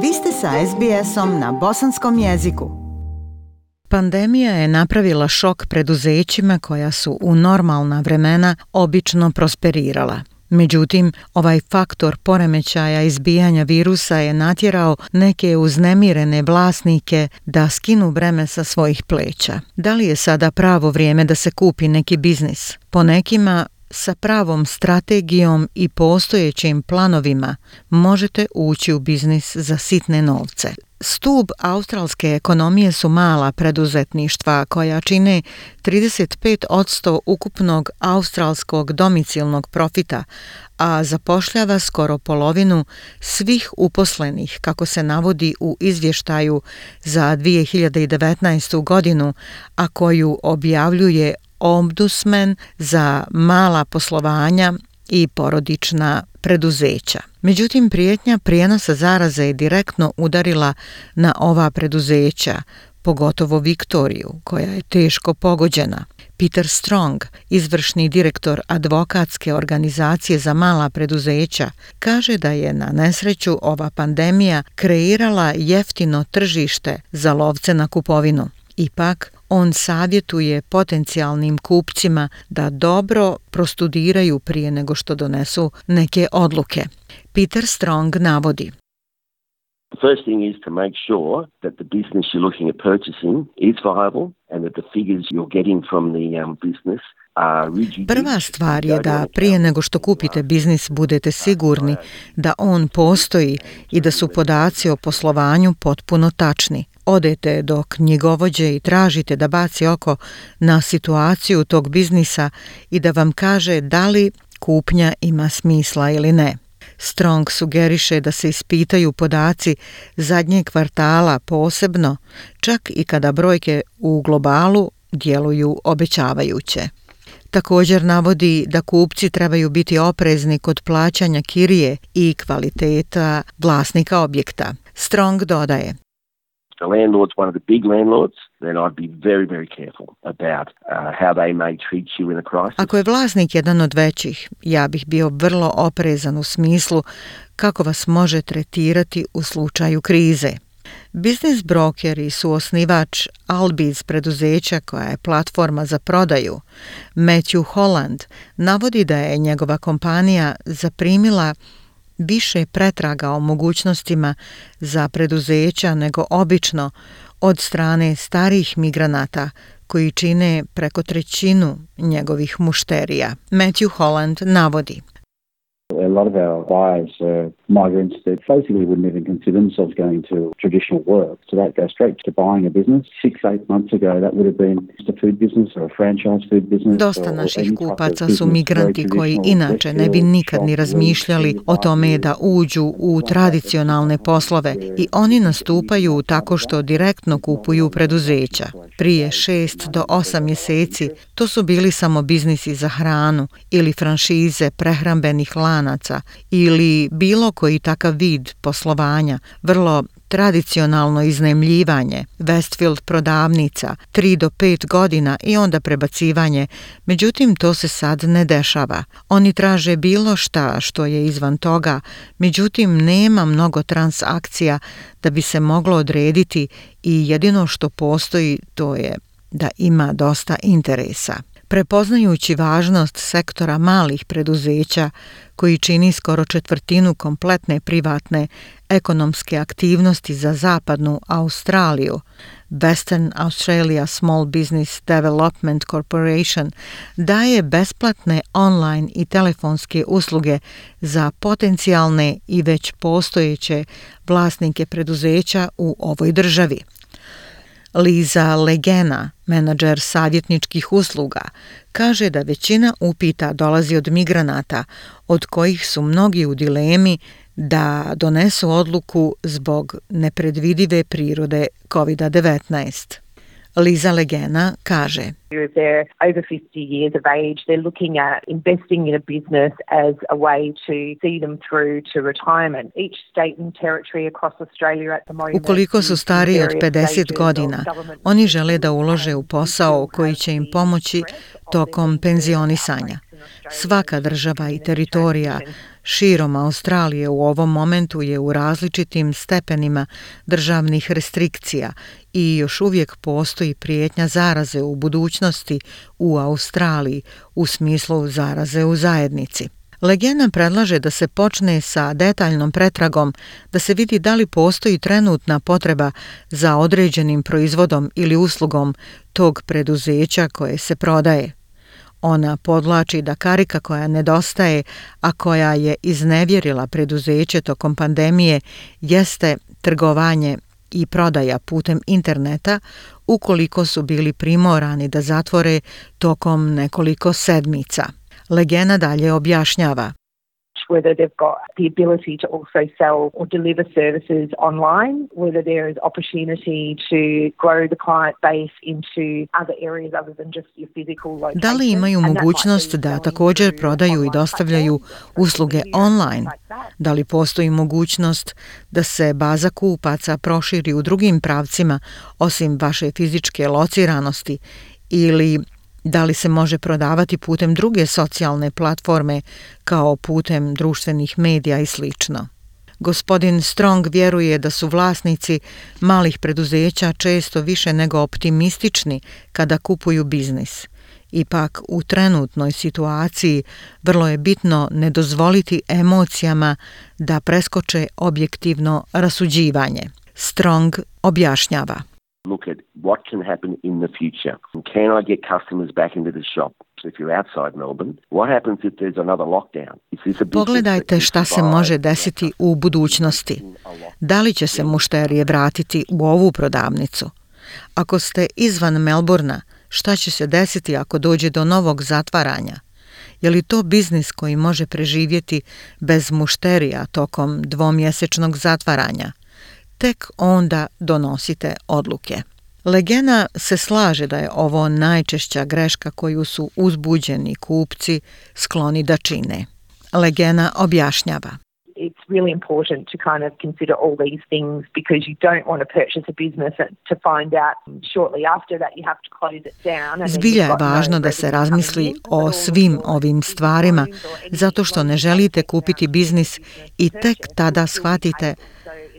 Vi ste sa SBS-om na bosanskom jeziku. Pandemija je napravila šok preduzećima koja su u normalna vremena obično prosperirala. Međutim, ovaj faktor poremećaja izbijanja virusa je natjerao neke uznemirene vlasnike da skinu breme sa svojih pleća. Da li je sada pravo vrijeme da se kupi neki biznis? Po nekima, sa pravom strategijom i postojećim planovima možete ući u biznis za sitne novce. Stub australske ekonomije su mala preduzetništva koja čine 35% ukupnog australskog domicilnog profita, a zapošljava skoro polovinu svih uposlenih, kako se navodi u izvještaju za 2019. godinu, a koju objavljuje Ombudsman za mala poslovanja i porodična preduzeća. Međutim, prijetnja prijenosa zaraze je direktno udarila na ova preduzeća, pogotovo Viktoriju, koja je teško pogođena. Peter Strong, izvršni direktor advokatske organizacije za mala preduzeća, kaže da je na nesreću ova pandemija kreirala jeftino tržište za lovce na kupovinu. Ipak, on savjetuje potencijalnim kupcima da dobro prostudiraju prije nego što donesu neke odluke. Peter Strong navodi: The first thing is to make sure that the business you're looking at purchasing is viable and that the figures you're getting from the business are rigid. Prva stvar je da prije nego što kupite biznis budete sigurni da on postoji i da su podaci o poslovanju potpuno tačni. Odete do knjigovođe i tražite da baci oko na situaciju tog biznisa i da vam kaže da li kupnja ima smisla ili ne. Strong sugeriše da se ispitaju podaci zadnjeg kvartala posebno, čak i kada brojke u globalu djeluju obećavajuće. Također navodi da kupci trebaju biti oprezni kod plaćanja kirije i kvaliteta vlasnika objekta. Strong dodaje: The landlord's one of the big landlords, then I'd be very, very careful about how they may treat you in a crisis. Ako je vlasnik jedan od većih, ja bih bio vrlo oprezan u smislu kako vas može tretirati u slučaju krize. Biznis brokeri su osnivač Albiz preduzeća koja je platforma za prodaju. Matthew Holland navodi da je njegova kompanija zaprimila više pretraga o mogućnostima za preduzeća nego obično od strane starih migranata koji čine preko trećinu njegovih mušterija. Matthew Holland navodi: A lot of our buyers are migrants that basically wouldn't even consider themselves going to traditional work. So that goes straight to buying a business. 6-8 months ago, that would have been just a food business or a franchise food business. Dosta naših kupaca su migranti koji inače ne bi nikad ni razmišljali o tome da uđu u tradicionalne poslove i oni nastupaju tako što direktno kupuju preduzeća. Prije 6 do 8 mjeseci to su bili samo biznisi za hranu ili franšize prehrambenih lanaca ili bilo koji takav vid poslovanja, vrlo tradicionalno iznajmljivanje, Westfield prodavnica, 3 do 5 godina i onda prebacivanje. Međutim, to se sad ne dešava. Oni traže bilo šta što je izvan toga, međutim, nema mnogo transakcija da bi se moglo odrediti i jedino što postoji to je da ima dosta interesa. Prepoznajući važnost sektora malih preduzeća, koji čini skoro četvrtinu kompletne privatne ekonomske aktivnosti za zapadnu Australiju, Western Australia Small Business Development Corporation daje besplatne online i telefonske usluge za potencijalne i već postojeće vlasnike preduzeća u ovoj državi. Liza Legena, menadžer savjetničkih usluga, kaže da većina upita dolazi od migranata, od kojih su mnogi u dilemi da donesu odluku zbog nepredvidive prirode COVID-19. Liza Legena kaže: If they're over 50 years of age, they're looking at investing in a business as a way to see them through to retirement. Each state and territory across Australia at the moment. Ukoliko su stariji od 50 godina, oni žele da ulože u posao koji će im pomoći tokom penzionisanja. Svaka država i teritorija širom Australije u ovom momentu je u različitim stepenima državnih restrikcija i još uvijek postoji prijetnja zaraze u budućnosti u Australiji u smislu zaraze u zajednici. Legena predlaže da se počne sa detaljnom pretragom, da se vidi da li postoji trenutna potreba za određenim proizvodom ili uslugom tog preduzeća koje se prodaje. Ona podvlači da karika koja nedostaje, a koja je iznevjerila preduzeće tokom pandemije, jeste trgovanje i prodaja putem interneta ukoliko su bili primorani da zatvore tokom nekoliko sedmica. Legena dalje objašnjava. Whether they've got the ability to also sell or deliver services online, whether there is opportunity to grow the client base into other areas other than just your physical location. Da li imaju mogućnost da također prodaju i dostavljaju usluge online? Da li postoji mogućnost da se baza kupaca proširi u drugim pravcima osim vaše fizičke lociranosti ili da li se može prodavati putem druge socijalne platforme kao putem društvenih medija i sl. Gospodin Strong vjeruje da su vlasnici malih preduzeća često više nego optimistični kada kupuju biznis. Ipak u trenutnoj situaciji vrlo je bitno ne dozvoliti emocijama da preskoče objektivno rasuđivanje. Strong objašnjava. Look at what can happen in the future. Can I get customers back into the shop? If you're outside Melbourne, what happens if there's another lockdown? Pogledajte šta se može desiti u budućnosti. Da li će se mušterije vratiti u ovu prodavnicu? Ako ste izvan Melbourna, šta će se desiti ako dođe do novog zatvaranja? Je li to biznis koji može preživjeti bez mušterija tokom dvomjesečnog zatvaranja? Tek onda donosite odluke. Legena se slaže da je ovo najčešća greška koju su uzbuđeni kupci skloni da čine. Legena objašnjava. It's really important to kind of consider all these things because you don't want to purchase a business to find out shortly after that you have to close it down. Zbilja je važno da se razmisli o svim ovim stvarima zato što ne želite kupiti biznis i tek tada shvatite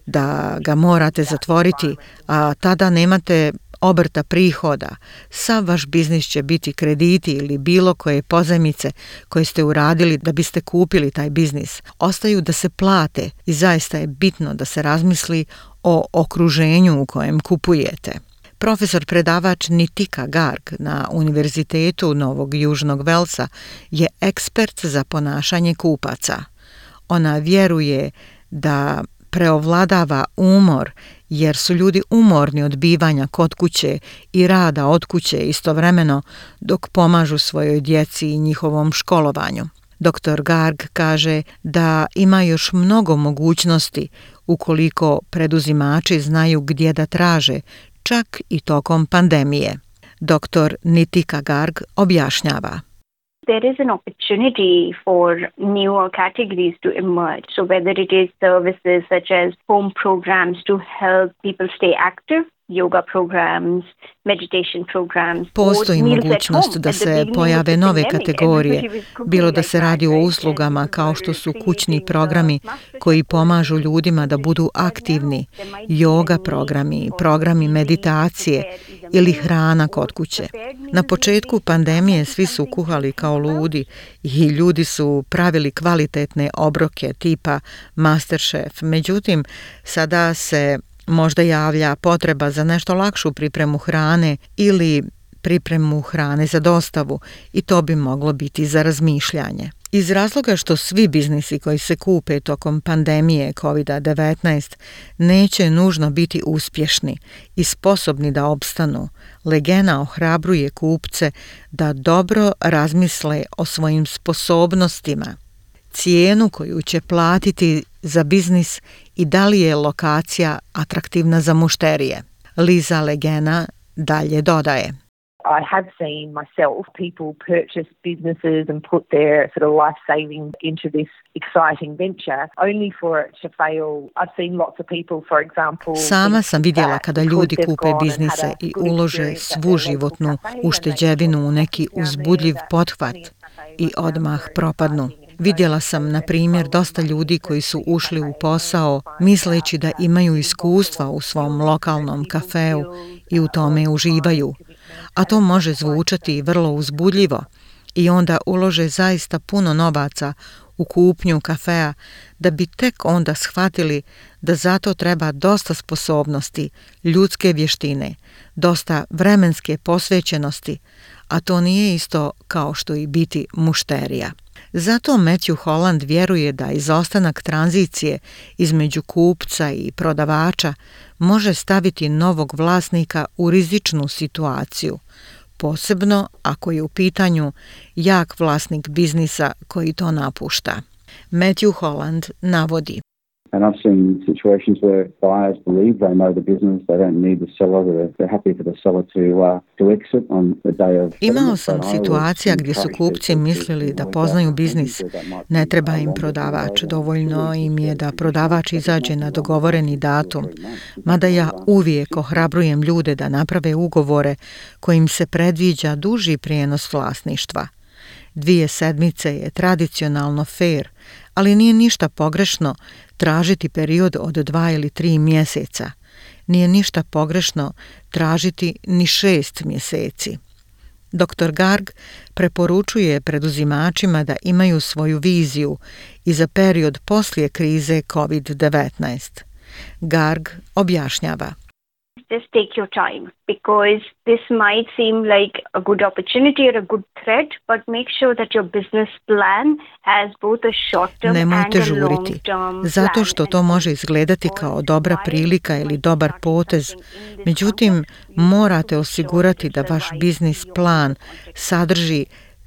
da ga morate zatvoriti, a tada nemate obrta prihoda. Sav vaš biznis će biti krediti ili bilo koje pozajmice koje ste uradili da biste kupili taj biznis. Ostaju da se plate i zaista je bitno da se razmisli o okruženju u kojem kupujete. Profesor predavač Nitika Garg na Univerzitetu Novog Južnog Velsa je ekspert za ponašanje kupaca. Ona vjeruje da preovladava umor jer su ljudi umorni od bivanja kod kuće i rada od kuće istovremeno dok pomažu svojoj djeci i njihovom školovanju. Dr. Garg kaže da ima još mnogo mogućnosti ukoliko preduzimači znaju gdje da traže, čak i tokom pandemije. Dr. Nitika Garg objašnjava. There is an opportunity for newer categories to emerge. So whether it is services such as home programs to help people stay active, yoga programs, meditation programs. Postoji mogućnost da se pojave nove kategorije, bilo da se radi o uslugama kao što su kućni programi koji pomažu ljudima da budu aktivni, yoga programi, programi meditacije ili hrana kod kuće. Na početku pandemije svi su kuhali kao ludi i ljudi su pravili kvalitetne obroke tipa MasterChef. Međutim, sada se možda javlja potreba za nešto lakšu pripremu hrane ili pripremu hrane za dostavu i to bi moglo biti za razmišljanje. Iz razloga što svi biznisi koji se kupe tokom pandemije COVID-19 neće nužno biti uspješni i sposobni da opstanu, Legena ohrabruje kupce da dobro razmisle o svojim sposobnostima, cijenu koju će platiti za biznis i da li je lokacija atraktivna za mušterije. Liza Legena dalje dodaje. I have seen myself people purchase businesses and put their sort of life savings into this exciting venture only for it to fail. I've seen lots of people, for example. Sama sam vidjela kada ljudi kupe biznise i ulože svu životnu ušteđevinu u neki uzbudljiv pothvat i odmah propadnu. Vidjela sam, na primjer, dosta ljudi koji su ušli u posao misleći da imaju iskustva u svom lokalnom kafeu i u tome uživaju, a to može zvučati vrlo uzbudljivo i onda ulože zaista puno novaca u kupnju kafea da bi tek onda shvatili da zato treba dosta sposobnosti, ljudske vještine, dosta vremenske posvećenosti, a to nije isto kao što i biti mušterija. Zato Matthew Holland vjeruje da izostanak tranzicije između kupca i prodavača može staviti novog vlasnika u rizičnu situaciju, posebno ako je u pitanju jak vlasnik biznisa koji to napušta. Matthew Holland navodi: And I've seen situations where buyers believe they know the business, they don't need the seller, they're happy for the seller to exit on the day of... Imao sam situacija gdje su kupci mislili da poznaju biznis, ne treba im prodavač, dovoljno im je da prodavač izađe na dogovoreni datum, mada ja uvijek ohrabrujem ljude da naprave ugovore kojim se predviđa duži prijenos vlasništva. 2 sedmice je tradicionalno fair, ali nije ništa pogrešno tražiti period od 2 ili 3 mjeseca. Nije ništa pogrešno tražiti ni 6 mjeseci. Dr. Garg preporučuje preduzimačima da imaju svoju viziju i za period poslije krize COVID-19. Garg objašnjava: Just take your time, because this might seem like a good opportunity or a good threat, but make sure that your business plan has both a short-term Nemojte and a žuriti, long-term zato što to može izgledati kao dobra prilika ili dobar potez. Međutim, morate osigurati da vaš biznis plan sadrži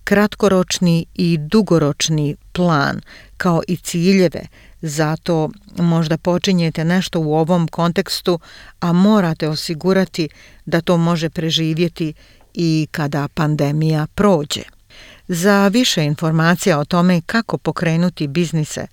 kratkoročni i dugoročni plan, kao i ciljeve. Zato možda počinjete nešto u ovom kontekstu, a morate osigurati da to može preživjeti i kada pandemija prođe. Za više informacija o tome kako pokrenuti biznise,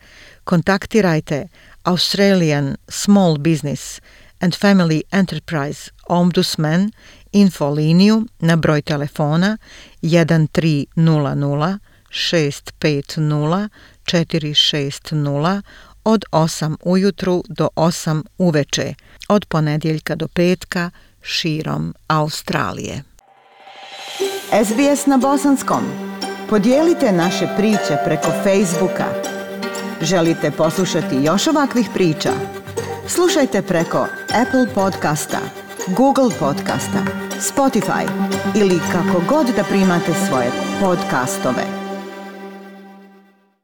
kontaktirajte Australian Small Business and Family Enterprise Ombudsman infoliniju na broj telefona 1300 650 460 od 8 ujutru do 8 uveče, od ponedjeljka do petka širom Australije. SBS na bosanskom. Podijelite naše priče preko Facebooka. Želite poslušati još ovakvih priča? Slušajte preko Apple podcasta, Google podcasta, Spotify ili kako god da primate svoje podcastove.